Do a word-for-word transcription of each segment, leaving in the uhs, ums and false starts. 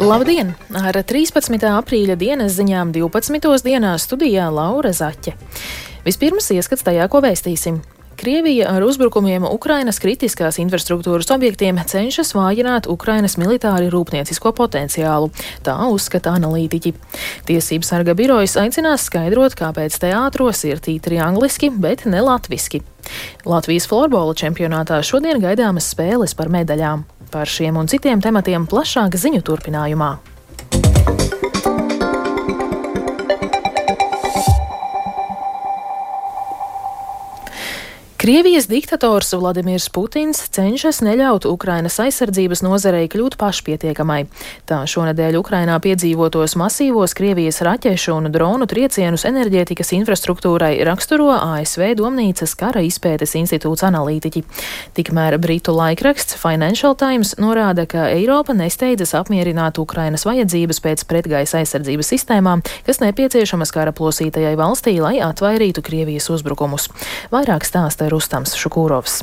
Labdien! Ar trīspadsmitā aprīļa dienas ziņām divpadsmitos dienā studijā Laura Zaķe. Vispirms ieskats tajā, ko vēstīsim. Krievija ar uzbrukumiem Ukrainas kritiskās infrastruktūras objektiem cenšas vājināt Ukrainas militāri rūpniecisko potenciālu. Tā uzskata analītiķi. Tiesību sarga birojas aicinās skaidrot, kāpēc teātros ir tītri angliski, bet ne latviski. Latvijas florbola čempionātā šodien gaidāmas spēles par medaļām. Par šiem un citiem tematiem plašāk ziņu turpinājumā. Krievijas diktators Vladimirs Putins cenšas neļaut Ukrainas aizsardzības nozarei kļūt pašpietiekamai. Tā šonedēļ Ukrainā piedzīvotos masīvos Krievijas raķešu un dronu triecienus enerģētikas infrastruktūrai raksturo A S V Domnīcas kara izpētes institūts analītiķi. Tikmēr britu laikraksts Financial Times norāda, ka Eiropa nesteidzas apmierināt Ukrainas vajadzības pēc pretgaisa aizsardzības sistēmām, kas nepieciešamas kara plosītajai valstī, lai atvairītu Krievijas uzbrukumus. Vairāk stāsta Rustams Šukūrovs.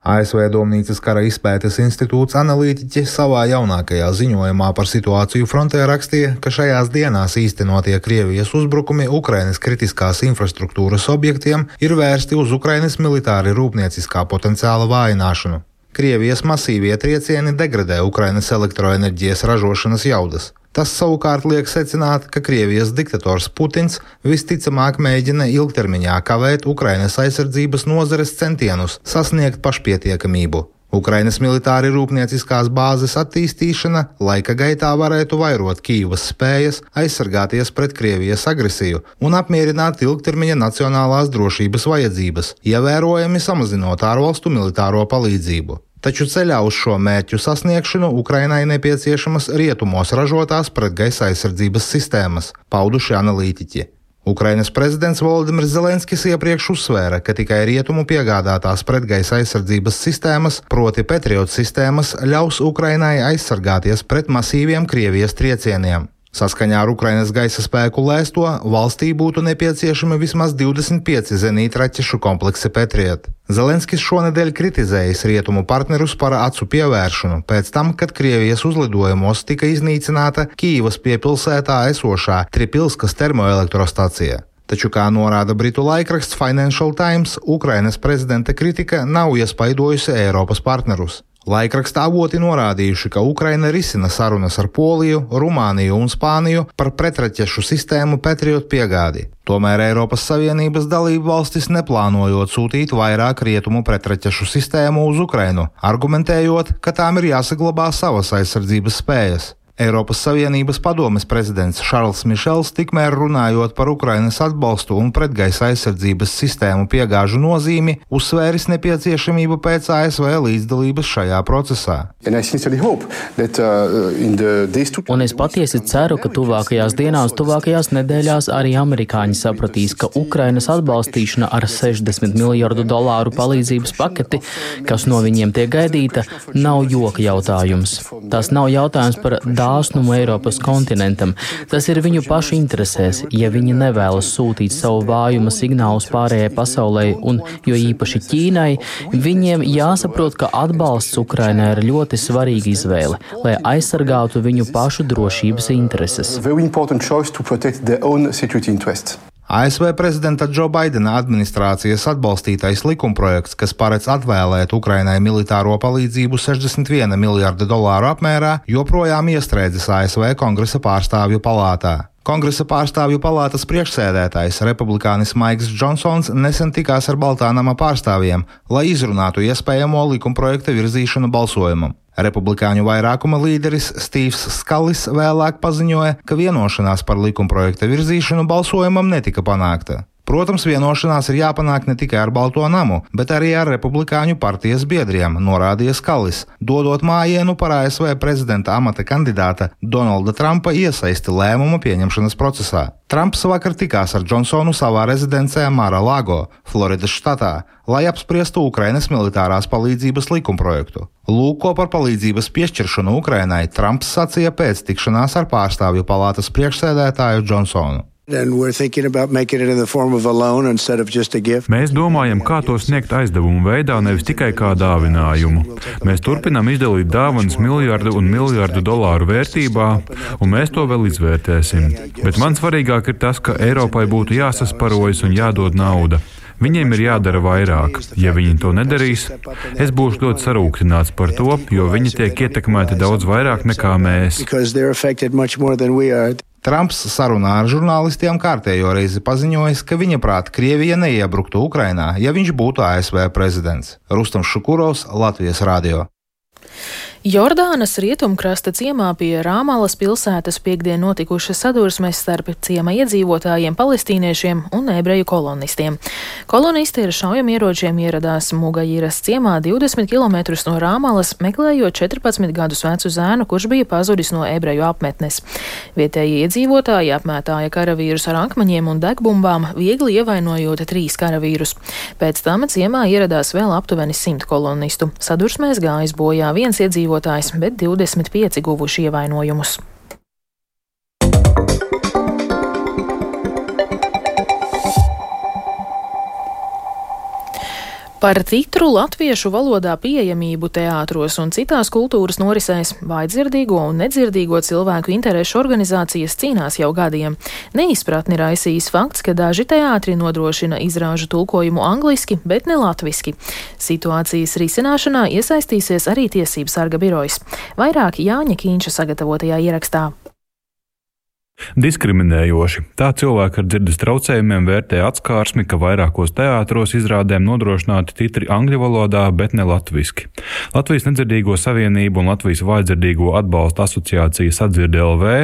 A S V Domnīcas kara izpētes institūts analītiķi savā jaunākajā ziņojumā par situāciju frontē rakstīja, ka šajās dienās īstenotie Krievijas uzbrukumi Ukrainas kritiskās infrastruktūras objektiem ir vērsti uz Ukrainas militāri rūpnieciskā potenciāla vājināšanu. Krievijas masīvie triecieni degradē Ukrainas elektroenerģijas ražošanas jaudas. Tas savukārt liek secināt, ka Krievijas diktators Putins visticamāk mēģina ilgtermiņā kavēt Ukrainas aizsardzības nozares centienus sasniegt pašpietiekamību. Ukrainas militāri rūpnieciskās bāzes attīstīšana laika gaitā varētu vairot Kijivas spējas aizsargāties pret Krievijas agresiju un apmierināt ilgtermiņa nacionālās drošības vajadzības, ievērojami samazinot ārvalstu militāro palīdzību. Taču ceļā uz šo mērķu sasniegšanu Ukrainai nepieciešamas rietumos ražotās pretgaisa aizsardzības sistēmas, pauduši analītiķi. Ukrainas prezidents Volodimirs Zelenskis iepriekš uzsvēra, ka tikai rietumu piegādātās pretgaisa aizsardzības sistēmas, proti Patriot sistēmas, ļaus Ukrainai aizsargāties pret masīviem Krievijas triecieniem. Saskaņā ar Ukrainas gaisa spēku lēsto, valstī būtu nepieciešami vismaz divdesmit pieci zenītraķešu kompleksi Patriot. Zelenskis šonedēļ kritizējis rietumu partnerus par acu pievēršanu pēc tam, kad Krievijas uzlidojumos tika iznīcināta Kijivas piepilsētā esošā Tripilskas termoelektrostacija. Taču, kā norāda britu laikraksts Financial Times, Ukrainas prezidenta kritika nav iespaidojusi Eiropas partnerus. Laikraksta avoti norādījuši, ka Ukraina risina sarunas ar Poliju, Rumāniju un Spāniju par pretraķešu sistēmu Patriot piegādi. Tomēr Eiropas Savienības dalību valstis neplānojot sūtīt vairāk rietumu pretraķešu sistēmu uz Ukrainu, argumentējot, ka tām ir jāsaglabā savas aizsardzības spējas. Eiropas Savienības padomes prezidents Šarls Mišels tikmēr runājot par Ukrainas atbalstu un pretgaisa aizsardzības sistēmu piegāžu nozīmi, uzsvēris nepieciešamību pēc A S V līdzdalības šajā procesā. That, uh, un es patiesi ceru, ka tuvākajās dienās, tuvākajās nedēļās arī amerikāņi sapratīs, ka Ukrainas atbalstīšana ar sešdesmit miljardu dolāru palīdzības paketi, kas no viņiem tiek gaidīta, nav joka jautājums. Tas nav jautājums par dāsnumu Eiropas kontinentam. Tas ir viņu pašu interesēs, ja viņi nevēlas sūtīt savu vājuma signālus pārējai pasaulē un jo īpaši Ķīnai, viņiem jāsaprot, ka atbalsts Ukrainai ir ļoti svarīga izvēle, lai aizsargātu viņu pašu drošības intereses. A S V prezidenta Džo Baidena administrācijas atbalstītais likumprojekts, kas paredz atvēlēt Ukrainai militāro palīdzību sešdesmit viena miljarda dolāru apmērā, joprojām iestrēdzis A S V Kongresa pārstāvju palātā. Kongresa pārstāvju palātas priekšsēdētājs, republikānis Maiks Džonsons, nesen tikās ar Baltā nama pārstāvjiem, lai izrunātu iespējamo likumprojekta virzīšanu balsojumam. Republikāņu vairākuma līderis Stīvs Skalis vēlāk paziņoja, ka vienošanās par likumprojekta virzīšanu balsojumam netika panākta. Protams, vienošanās ir jāpanāk ne tikai ar Balto namu, bet arī ar republikāņu partijas biedriem, norādīja Skalis, dodot mājienu par A S V prezidenta amata kandidāta Donalda Trumpa iesaisti lēmuma pieņemšanas procesā. Trumps vakar tikās ar Džonsonu savā rezidencē Mar-a-Lago, Floridas štatā, lai apspriestu Ukrainas militārās palīdzības likumprojektu. Lūk, ko par palīdzības piešķiršanu Ukrainai Trumps sacīja pēc tikšanās ar pārstāvju palātas priekšsēdētāju Džonsonu. Mēs domājam, kā to sniegt aizdevumu veidā, nevis tikai kā dāvinājumu. Mēs turpinām izdalīt dāvanas miljardu un miljardu dolāru vērtībā, un mēs to vēl izvērtēsim. Bet man svarīgāk ir tas, ka Eiropai būtu jāsasparojas un jādod nauda. Viņiem ir jādara vairāk. Ja viņi to nedarīs, es būšu ļoti sarūktināts par to, jo viņi tiek ietekmēti daudz vairāk nekā mēs. Trumps sarunā ar žurnālistiem kārtējo reizi paziņojis, ka viņa prāt Krievija neiebruktu Ukrainā, ja viņš būtu A S V prezidents. Rustams Šukurovs, Latvijas radio. Jordānas rietumkrasta ciemā pie Rāmalas pilsētas piekdien notikušas sadursmes starp ciema iedzīvotājiem, palestīniešiem un ebreju kolonistiem. Kolonisti ar šaujamieročiem ieradās Mugajiras ciemā divdesmit kilometrus no Rāmalas, meklējot četrpadsmit gadus vecu zēnu, kurš bija pazudis no ebreju apmetnes. Vietējie iedzīvotāji apmētāja karavīrus ar akmeņiem un degbumbām, viegli ievainojot trīs karavīrus. Pēc tam ciemā ieradās vēl aptuveni simt kolonistu. Sadursmēs gājis bojā viens iedzīvotājs, bet divdesmit pieci guvuši ievainojumus. Par titru latviešu valodā pieejamību teātros un citās kultūras norisēs vājdzirdīgo un nedzirdīgo cilvēku interešu organizācijas cīnās jau gadiem. Neizpratni raisījis fakts, ka daži teātri nodrošina izrāžu tulkojumu angliski, bet ne latviski. Situācijas risināšanā iesaistīsies arī Tiesību sarga birojas. Vairāk Jāņa Kīņša sagatavotajā ierakstā. Diskriminējoši. Tā cilvēki ar dzirdes traucējumiem vērtē atskārsmi, ka vairākos teātros izrādēm nodrošināti titri angļu valodā, bet ne latviski. Latvijas nedzirdīgo savienību un Latvijas vājdzirdīgo atbalsta asociācija Sadzirde L V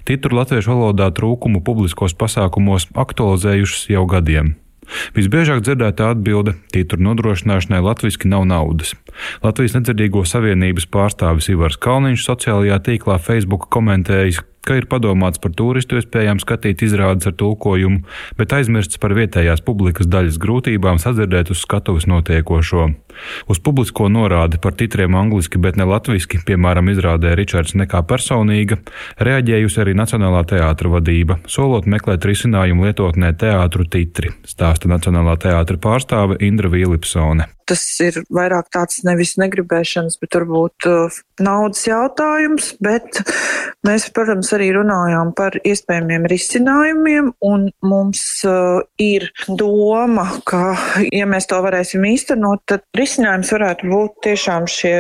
titru latviešu valodā trūkumu publiskos pasākumos aktualizējušas jau gadiem. Visbiežāk dzirdētā atbilde – titru nodrošināšanai latviski nav naudas. Latvijas nedzirdīgo savienības pārstāvis Ivars Kalniņš sociālajā tīklā Facebook komentējis, ka ir padomāts par turistu iespējām skatīt izrādes ar tulkojumu, bet aizmirsts par vietējās publikas daļas grūtībām sadzirdēt uz skatuves notiekošo. Uz publisko norādi par titriem angliski, bet ne latviski, piemēram, izrādē Ričards nekā personīga, reaģējusi arī Nacionālā teātra vadība, solot meklēt risinājumu lietotnē teātru titri, stāsta Nacionālā teātra pārstāve Indra Vīlipsone. Tas ir vairāk tāds nevis negribēšanas, bet varbūt uh, naudas jautājums, bet mēs, protams, arī runājām par iespējamiem risinājumiem, un mums uh, ir doma, ka, ja mēs to varēsim īstenot, tad risinājums varētu būt tiešām šie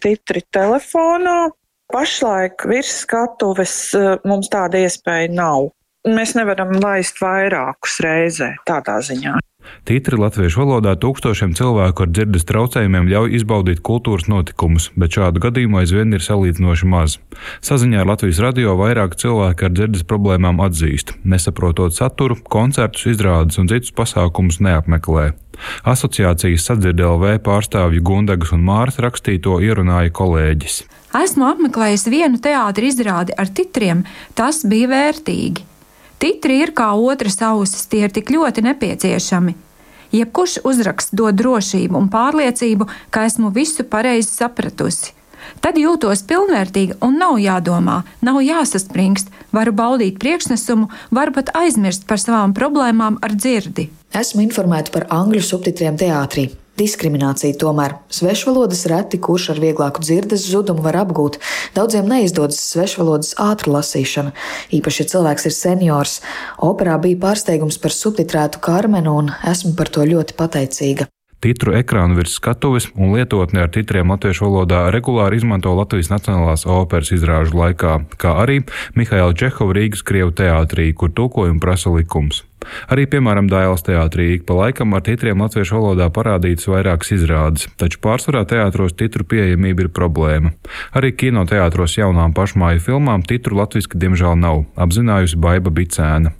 titri telefonā. Pašlaik virs skatuves uh, mums tāda iespēja nav. Mēs nevaram laist vairākus reizē tādā ziņā. Titri latviešu valodā tūkstošiem cilvēku ar dzirdes traucējumiem ļauj izbaudīt kultūras notikumus, bet šādu gadījumu aizvien ir salīdzinoši maz. Saziņā ar Latvijas radio vairāk cilvēki ar dzirdes problēmām atzīst, nesaprotot saturu, koncertus, izrādes un citus pasākumus neapmeklē. Asociācijas Sadzirde L V pārstāvju Gundagas un Māras rakstīto ierunāja kolēģis. Esmu apmeklējis vienu teātra izrādi ar titriem, tas bija vērtīgi. Titri ir kā otras ausis, tie ir tik ļoti nepieciešami. Jebkurš uzraksts dod drošību un pārliecību, ka esmu visu pareizi sapratusi. Tad jūtos pilnvērtīga un nav jādomā, nav jāsaspringst, varu baudīt priekšnesumu, varu pat aizmirst par savām problēmām ar dzirdi. Esmu informēta par angļu subtitriem teātrī. Diskriminācija tomēr. Svešvalodas reti, kurš ar vieglāku dzirdes zudumu var apgūt. Daudziem neizdodas svešvalodas ātra lasīšana. Īpaši, ja cilvēks ir seniors. Operā bija pārsteigums par subtitrētu Karmenu un esmu par to ļoti pateicīga. Titru ekrānu virs skatuves un lietotni ar titriem latviešu valodā regulāri izmanto Latvijas Nacionālās operas izrāžu laikā, kā arī Mihaila Čehova Rīgas Krievu teātrī, kur tulkojumu prasa likums. Arī, piemēram, Dailas teātrī ik pa laikam ar titriem latviešu valodā parādītas vairākas izrādes, taču pārsvarā teātros titru pieejamība ir problēma. Arī kinoteātros jaunām pašmāju filmām titru latviski diemžēl nav, apzinājusi Baiba Bicēna.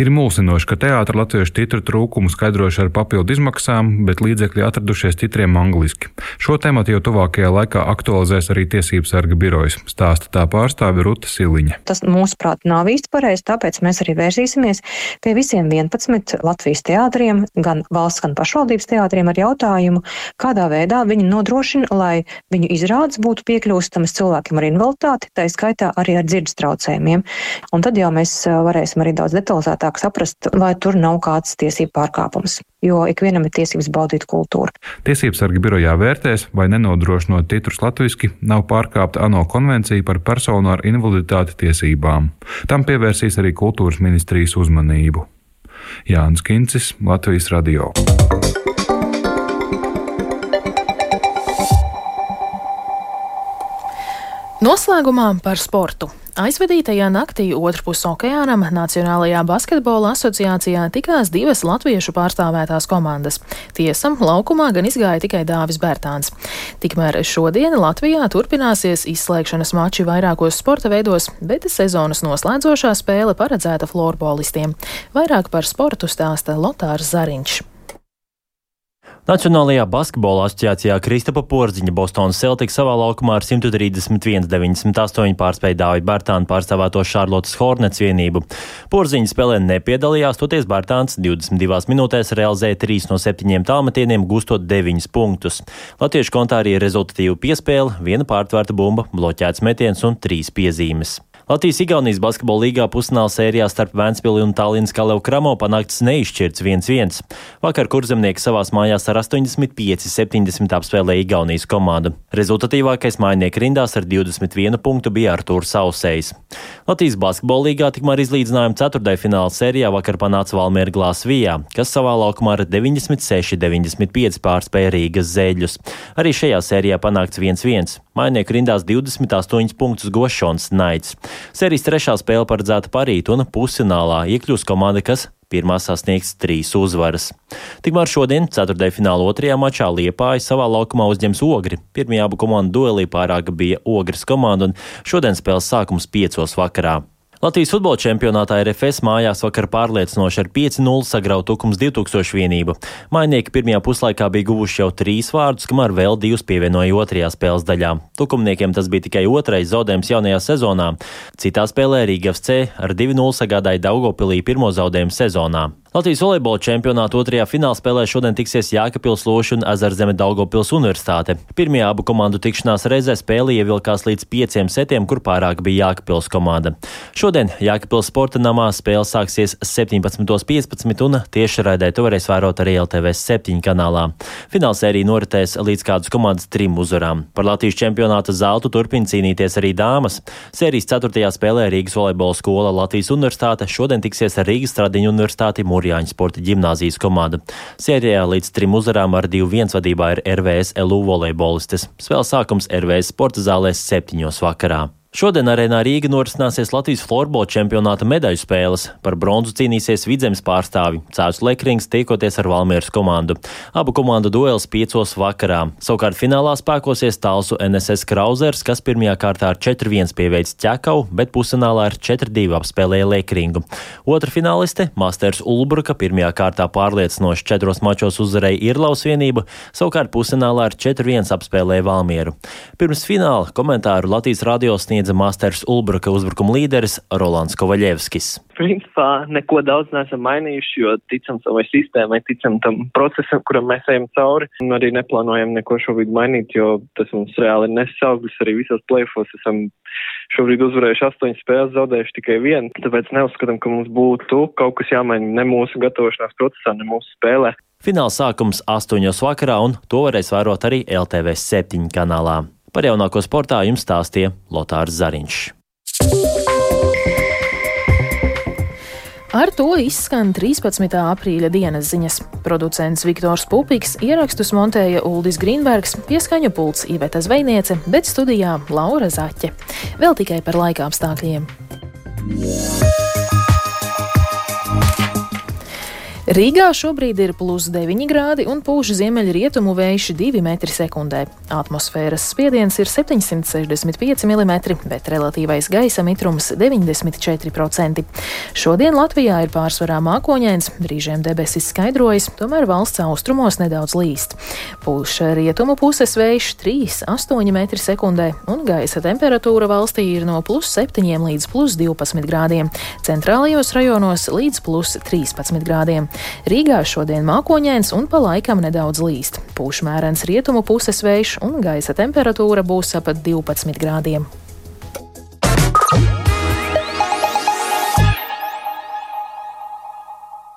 Ir mulsinoši, ka teātra latviešu titru trūkumu skaidrojuši ar papildu izmaksām, bet līdzekļi atradušies titriem angliski. Šo tematu jau tuvākajā laikā aktualizēs arī Tiesību sarga birojas, stāsta tā pārstāve Ruta Siliņa. Tas, mūsuprāt, nav īsti pareizi, tāpēc mēs arī vērsīsimies pie visiem vienpadsmit Latvijas teātriem, gan valsts, gan pašvaldības teātriem ar jautājumu, kādā veidā viņi nodrošina, lai viņu izrādes būtu piekļūstamas cilvēkiem ar invaliditāti, tā skaitā arī ar dzirdes traucējumiem. Un tad jau mēs varēsim arī daudz detalizēt detalizētāk saprast, vai tur nav kāds tiesību pārkāpums, jo ikvienam ir tiesības baudīt kultūru. Tiesībsargi birojā vērtēs, vai nenodrošinot titrus latviski nav pārkāpta ANO konvencija par personu ar invaliditāti tiesībām. Tam pievērsīs arī kultūras ministrijas uzmanību. Jānis Kincis, Latvijas radio. Noslēgumā par sportu. Aizvadītajā naktī otrpus okeānam Nacionālajā basketbola asociācijā tikās divas latviešu pārstāvētās komandas. Tiesam, laukumā gan izgāja tikai Dāvis Bērtāns. Tikmēr šodien Latvijā turpināsies izslēgšanas mači vairākos sporta veidos, bet sezonas noslēdzošā spēle paredzēta florbolistiem. Vairāk par sportu stāsta Lotārs Zariņš. Nacionālajā basketbola asociācijā Kristapa Porziņa Bostonas Celtics savā laukumā ar simt trīsdesmit viens deviņdesmit astoņi pārspēja Dāvida Bērtāna pārstāvēto Šarlotas Hornets vienību. Porziņa spēlē nepiedalījās, toties Bērtāns divdesmit divās minūtēs realizēja trīs no septiņiem tālmetieniem, gūstot deviņus punktus. Latviešu kontā arī rezultatīva piespēle, viena pārtvērta bumba, bloķēts metiens un trīs piezīmes. Latvijas-Igaunijas basketbola līgā pusfināla sērijā starp Ventspili un Tallinas Kalev Kramo panākts neizšķirts viens viens. Vakar kurzemnieki savās mājās ar astoņdesmit pieci septiņdesmit apspēlēja Igaunijas komandu. Rezultatīvākais mājinieku rindās ar divdesmit vienu punktu bija Artūrs Sausējs. Latvijas basketbola līgā tikmēr izlīdzinājumu ceturtdaļfināla sērijā vakar panāca Valmiera Glāzvijā, kas savā laukumā ar deviņdesmit seši deviņdesmit pieci pārspēja Rīgas Zēļus. Arī šajā sērijā panākts viens viens. Mājinieku rindās divdesmit astoņus punktus Gošons Naids. Sērijas trešā spēle paredzēta parīt un pusfinālā iekļūs komanda, kas pirmā sasniegs trīs uzvaras. Tikmēr šodien, ceturtdaļfināla otrajā mačā Liepāja savā laukumā uzņems Ogri. Pirmajā abu komandu duelī pārāka bija Ogres komanda un šodien spēles sākums piecos vakarā. Latvijas futbola čempionātā R F S mājās vakar pārliecinoši ar pieci nulle sagrauta Tukums divi tūkstoši vienību. Mājnieki pirmajā puslaikā bija guvuši jau trīs vārdus, kamēr vēl divus pievienoja otrajā spēles daļā. Tukumniekiem tas bija tikai otrais zaudējums jaunajā sezonā. Citā spēlē Rīga F C ar divi nulle sagādāja Daugavpilī pirmo zaudējumu sezonā. Latvijas volejbola čempionāta otrajā finālspēlē šodien tiksies Jēkabpils Loša un Ezerzeme Daugavpils Universitāte. Pirmajā abu komandu tikšanās reizē spēle ievilkās līdz pieciem setiem, kur pārāk bija Jēkabpils komanda. Šodien Jēkabpils sporta namā spēle sāksies septiņpadsmit piecpadsmit un tiešraidē to varēs vērot arī L T V septiņi kanālā. Finālsērija noritēs līdz kādas komandas trim uzvarām. Par Latvijas čempionāta zeltu turpina cīnīties arī dāmas. Sērijas ceturtajā spēlē Rīgas volejbola skola Latvijas Universitāte šodien tiksies ar Rīgas Stradiņu Universitāti Mūrjāņu sporta ģimnāzijas komandu. Sērijā līdz trim uzvarām ar divi viens vadībā ir R V S L U volejbolistes. Spēles sākums R V S sporta zālēs septiņos vakarā. Šodien arēnā Rīga norisināsies Latvijas florbola čempionāta medaļu spēles. Par bronzu cīnīsies Vidzemes pārstāvi Cēzus Lekrings tiekoties ar Valmieras komandu. Abu komandu duels piecos vakarā. Savukārt finālā spēkosies Talsu N S S Krauzers, kas pirmajā kārtā ar četri viens pieveic Ķekavu, bet pusfinālā ar četri divi apspēlēja Lekringu. Otra fināliste Masters Ulbruka pirmajā kārtā pārliecinoši četros mačos uzvarēja Irlaus vienību, savukārt pusfinālā ar četri viens apspēlēja Valmieru. Pirms fināla komentāru Latvijas radio sniedz Masters Ulbruka uzbrukuma līderis Rolands Kovaļevskis. Principā neko daudz neesam mainījuši, jo ticam savai sistēmai, ticam tam procesam, kuram mēs ejam cauri. Un arī neplānojam neko šobrīd mainīt, jo tas mums reāli ir nesis augļus. Arī visos play-offos esam šobrīd uzvarējuši astoņas spēles, zaudējuši tikai vienu. Tāpēc neuzskatām, ka mums būtu kaut kas jāmaina ne mūsu gatavošanās procesā, ne mūsu spēlē. Fināla sākums astoņos vakarā, un to varēs vērot arī L T V septiņi kanālā. Par jaunāko sportā jums stāstīja Lotārs Zariņš. Ar to izskan trīspadsmitā aprīļa dienas ziņas. Producents Viktors Pupiks, ierakstus montēja Uldis Grīnbergs, pieskaņu pults Iveta Zvejniece, bet studijā Laura Zaķe. Vēl tikai par laika apstākļiem. Rīgā šobrīd ir plus deviņi grādi un pūš ziemeļrietumu vējš divi metri sekundē. Atmosfēras spiediens ir septiņsimt sešdesmit pieci milimetri, bet relatīvais gaisa mitrums deviņdesmit četri procenti. Šodien Latvijā ir pārsvarā mākoņains, brīžiem debesis skaidrojas, tomēr valsts austrumos nedaudz līst. Pūš rietumu puses vējš trīs astoņi metri sekundē un gaisa temperatūra valstī ir no plus septiņiem līdz plus divpadsmit grādiem, centrālajos rajonos līdz plus trīspadsmit grādiem. Rīgā šodien mākoņains un pa laikam nedaudz līst. Pūš mērens rietumu puses vējš un gaisa temperatūra būs ap divpadsmit grādiem.